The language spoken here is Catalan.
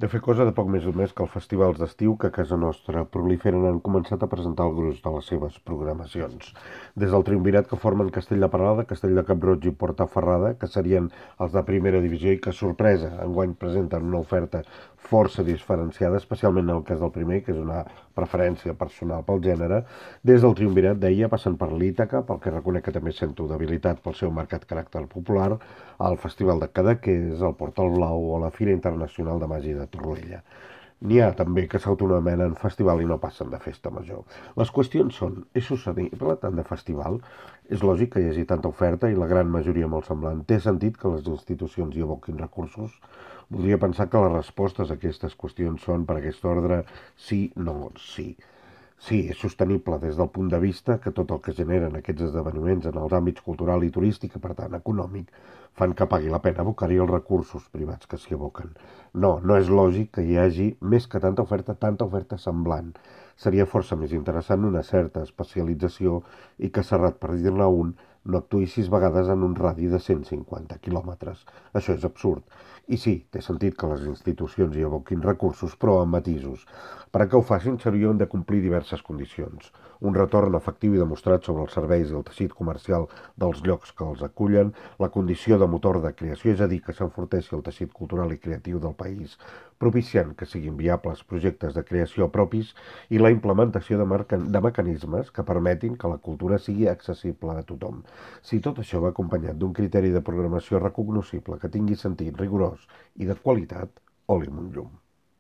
De fer cosa de poc més o més que els festivals d'estiu que a casa nostra proliferen han començat a presentar el gruix de les seves programacions. Des del triumvirat que formen Castell de Peralada, Castell de Cap-roig i Portaferrada, que serien els de primera divisió i que, sorpresa, enguany presenten una oferta força diferenciada, especialment en el cas del primer, que és una preferència personal pel gènere. Des del triumvirat, deia, passen per l'Ítaca, pel que reconec que també sento debilitat pel seu marcat caràcter popular, al Festival de Cadaqués, al Portal Blau o a la Fira Internacional de Màgia de Torroella. N'hi ha també que s'autonomenen festival i no passen de festa major. Les qüestions són, és sostenible tant de festival? És lògic que hi hagi tanta oferta i la gran majoria molt semblant. Té sentit que les institucions hi aboquin recursos? Voldria pensar que les respostes a aquestes qüestions són per aquest ordre sí, no, sí. Sí, és sostenible des del punt de vista que tot el que generen aquests esdeveniments en els àmbits cultural i turístic, i per tant econòmic, fan que pagui la pena abocar-hi els recursos privats que s'hi aboquen. No, no és lògic que hi hagi més que tanta oferta semblant. Seria força més interessant una certa especialització i que Serrat, per dir-ne un, no actuï 6 vegades en un radi de 150 quilòmetres. Això és absurd. I sí, té sentit que les institucions hi aboquin recursos, però amb matisos. Perquè ho facin s'haurien de complir diverses condicions. Un retorn efectiu i demostrat sobre els serveis i el teixit comercial dels llocs que els acullen, la condició de motor de creació, és a dir, que s'enforteixi el teixit cultural i creatiu del país, propiciant que siguin viables projectes de creació propis i la implementació de mecanismes que permetin que la cultura sigui accessible a tothom. Si tot això va acompanyat d'un criteri de programació recognoscible que tingui sentit rigorós i de qualitat, oli amb un llum.